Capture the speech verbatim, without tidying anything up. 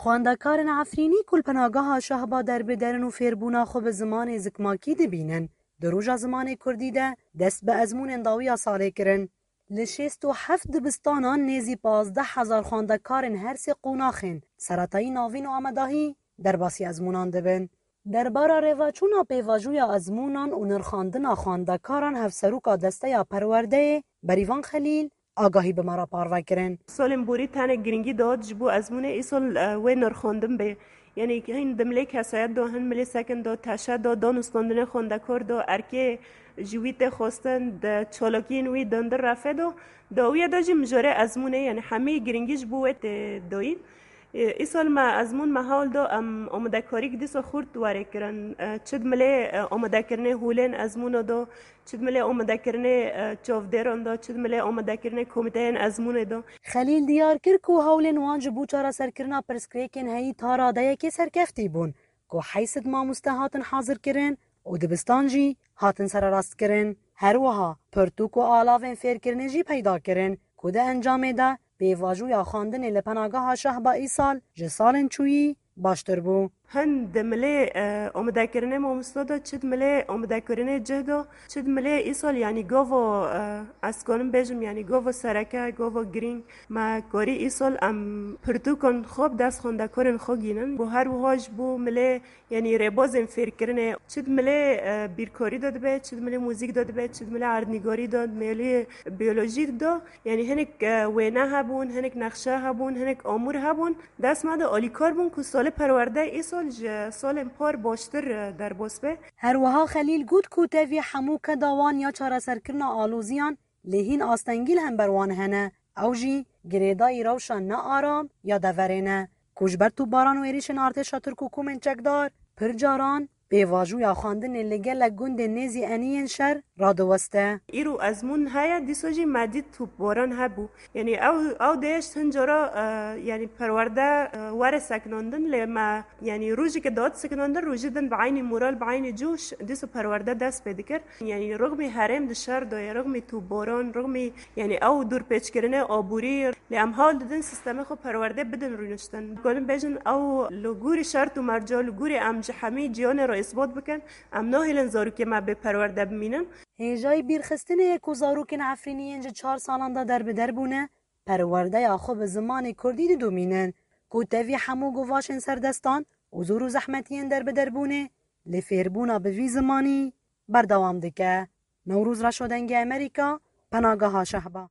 Xwendekarên Efrînî ku li Penageha Şehba derbiderin û fêrbûna xwe bi zimanê zikmakî dibînin, di Roja Zimanê Kurdî de dest bi ezmûnên dawiya salê kirin. Li şêst û heft dibistanan nêzî pazdeh hezar xwendekarên her sê qonaxên seretayî, navîn û amadahî derbasî ezmûnan dibin. Derbara rêveçûna pêvajoya ezmûnan û nirxandina xwendekaran hevseroka Desteya Perwerdeyê Berîvan Xelîl agahî bi me re parve kirin. Salên borî tenek girîngî dihat ji bo ezmûnê, îsal, e, wê nirxandin bê. Yanî hin di milê kesayet de, hin milê sekin de, teşe de, danûstandinê xwendekar de, erkê ji wî tê xwestin, di çalakiyên wî dindir refe de, dawiya de jî mijarê ezmûnê, yanî hemî girîngî ji bo wê tê dayîn. E, îsal me ezmûn me hewl da em amadekarîk dîsa xurt were kirin. E, çi di milê, e, amadekirinê holên ezmûna da, çi di milê amadekirinê, e, çavdêran da, çi di milê amadekirinê komîteyên ezmûnê da. Xelîl diyar kir ku hewlên wan ji bo çareserkirina pirsgirêkên heyî ta radeyekê serkeftî bûn, ku heyşt sed mamoste hatin hazirkirin û dibistan jî hatin sererastkirin. Her wiha pirtûk û alavên fêrkirinê jî peyda kirin, ku di encamê de pêvajoya xwendinê li Penageha Şehba îsal ji salên çûyî baştir bû. Hin di milê, e, amadekirinê mamosta de, çi di milê amadekirinê cih de, çi di milê îsal, yanî gava, e, ez kanim bêjim, yanî gava sereke, gava girîng, me karî îsal em pirtûkan xwe bi dest xwendekarên xwe gînin. Bo her wiha ji bo milê, yanî rêbazên fêrkirinê, çi di milê, e, bîrkarî de dibe, çi di milê muzîk de dibe, çi di milê erdnîgarî de, milê biyolojî de, yanî hinek, e, wêne hebûn, hinek nexşe hebûn, hinek amûr hebûn. Dest me de alîkar bûn ku salê perwerde îsal ji salên par baştir, e, derbas be. Her wiha Xelîl got ku tevî hemû keda wan ya çareserkirina aloziyan lê hîn astengî li hember wan hene. Ew jî girêdayî rewşa ne aram ya deverê ne, ku ji ber topbaran û êrîşên artêşa Tirk û komên çekdar pir caran pêvajoya xwendinê li gelek gundên nêzî eniyên şer radiweste. Îro ezmûn heye, dîsa jî me dît topbaran hebû. Yanî ew, ew dêşt hin cara, e, yanî perwerde, e, were sekinandin, lê me, yanî rojeke dihat sekinandin, rojê din bi eynî moral, bi eynî coş, dîsa perwerde dest pê dikir. Yanî rixmî herêm di şer de ye, rixmî topbaran, rixmî, yanî ew dorpêçkirinê aborî, lê em hewl didin sîstemê xwe perwerdê bidin rûniştin. Dikarin bêjin ew li gorî şert û merca, li gorî em ji hemî cîhanê re îsbat bikin, em nahêlin zarokê me bê perwerde bimînin. Hêjayî bîrxistinê ye ku zarokên Efrînî yên ji çar salan de derbider bûne, perwerdeya xwe bi zimanê kurdî didomînin, ku tevî hemû guvaşên serdestan û zor û zehmetiyên derbiderbûnê li fêrbûna bi vî zimanî berdewam dike. Newroz Reşo, Dengê Amerîka, Penageha Şehba.